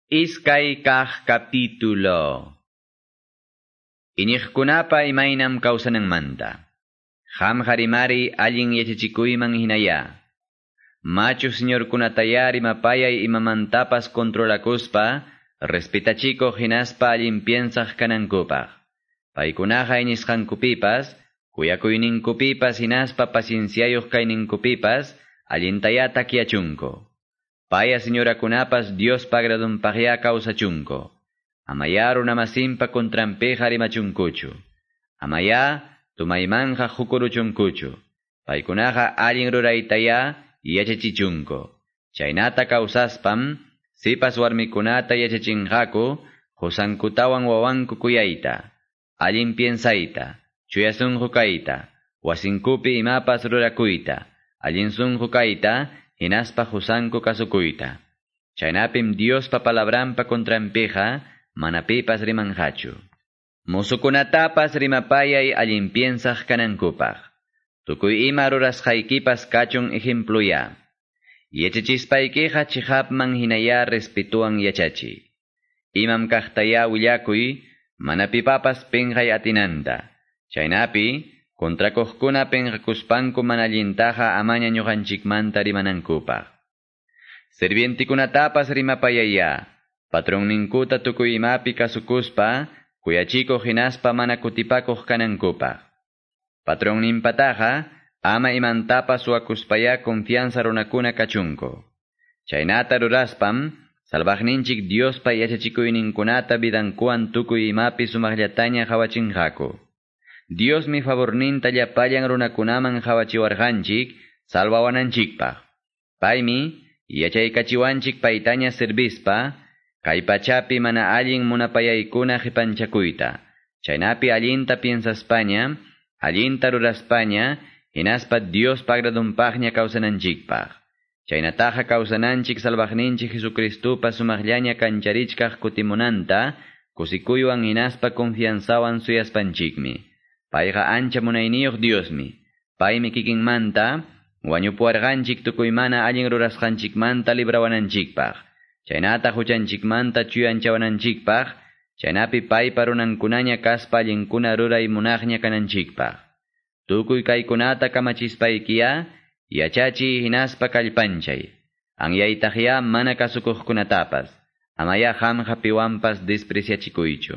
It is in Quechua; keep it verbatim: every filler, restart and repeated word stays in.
Iskay kaq capítulo. Iñiqkunapa imaynam kawsananmanta. Qamqa rimari allin yachachikuyman hinaya. Machu señorkunataya rimapayay imamantapas controlakuspa, respetachikuq hinaspa allin piensaq kanankupaq. Paykunaqa iñisqankupipas, kuyakuyninkupipas hinaspa pacienciayuq kayninkupipas, allintaya takyachunku. Paya señorakunapas Diospa agradunpaqya kawsachunku. Amaya runamasinpa contranpiqa rimachunkuchu. Amaya tumaymanja hukuruchunkuchu. Paykunaqa allin ruraytaya yachachichunku. Chaynata kawsaspam, sipas warmikunata yachachinqaku, qusankutawan wawanku kuyayta, allin piensayta, chuya sunqu kayta, wasinkupi imapas rurakuyta, allin sunqu kayta, hinaspa qusanku kasukuyta. Chaynapim Diospa palabranpa contranpiqa, mana pipas rimanqachu. Musukunatapas rimapayay allin piensaq kanankupaq. Tukuy ima rurasqaykipas kachun ejempluya. Yachachispaykiqa chiqapman hinaya respetuwan yachachiy. Imam kaqtaya willakuy, mana pipapas pinqay atinanta. Chaynapi, kontrakuqkuna pinqakuspanku mana allintaqa amaña ñuqanchikmanta rimanankupaq. Sirvientikunatapas rimapayaya. Patronninkuta tukuy imapi kasukuspa, kuyachikuq hinaspa mana kutipakuq kanankupaq. Patronninpataqa, ama imantapas suwakuspaya confianza runakuna kachunku. Chaynata ruraspam, salvaqninchik Diospa yachachikuyninkunata vidankuwan tukuy imapi sumaqllataña qhawachinqaku. Diosmi favorninta llapallan runakunaman qhawachiwarqanchik salvawananchikpaq. Paymi yachaykachiwanchik paytaña servispa, kay pachapi mana allin munapayaykuna qipanchakuyta. Chaynapi allinta piensaspaña, allinta ruraspaña, hinaspa Diospa agradunpaqña kawsananchikpaq. Chaynataqa kawsananchik salvaqninchik Jesucristupa sumaqllaña kancharichkaq kutimunanta, kusikuywan hinaspa confianzawan suyaspanchikmi. Payqa ancha munayniyuq Diosmi. Paymi kikinmanta, wañupuwarqanchik tukuy mana allin rurasqanchikmanta librawananchikpaq. Chaynata huchanchikmanta chuyanchawananchikpaq, chaynapi paypa runankunaña kaspa allinkuna ruray munaqña kananchikpaq. Tukuy kaykunata kamachispaykiya, yachachiy hinaspa kallpanchay. Anyaytaqya mana kasukuqkunatapas, amaya qamqa piwanpas despreciachikuychu.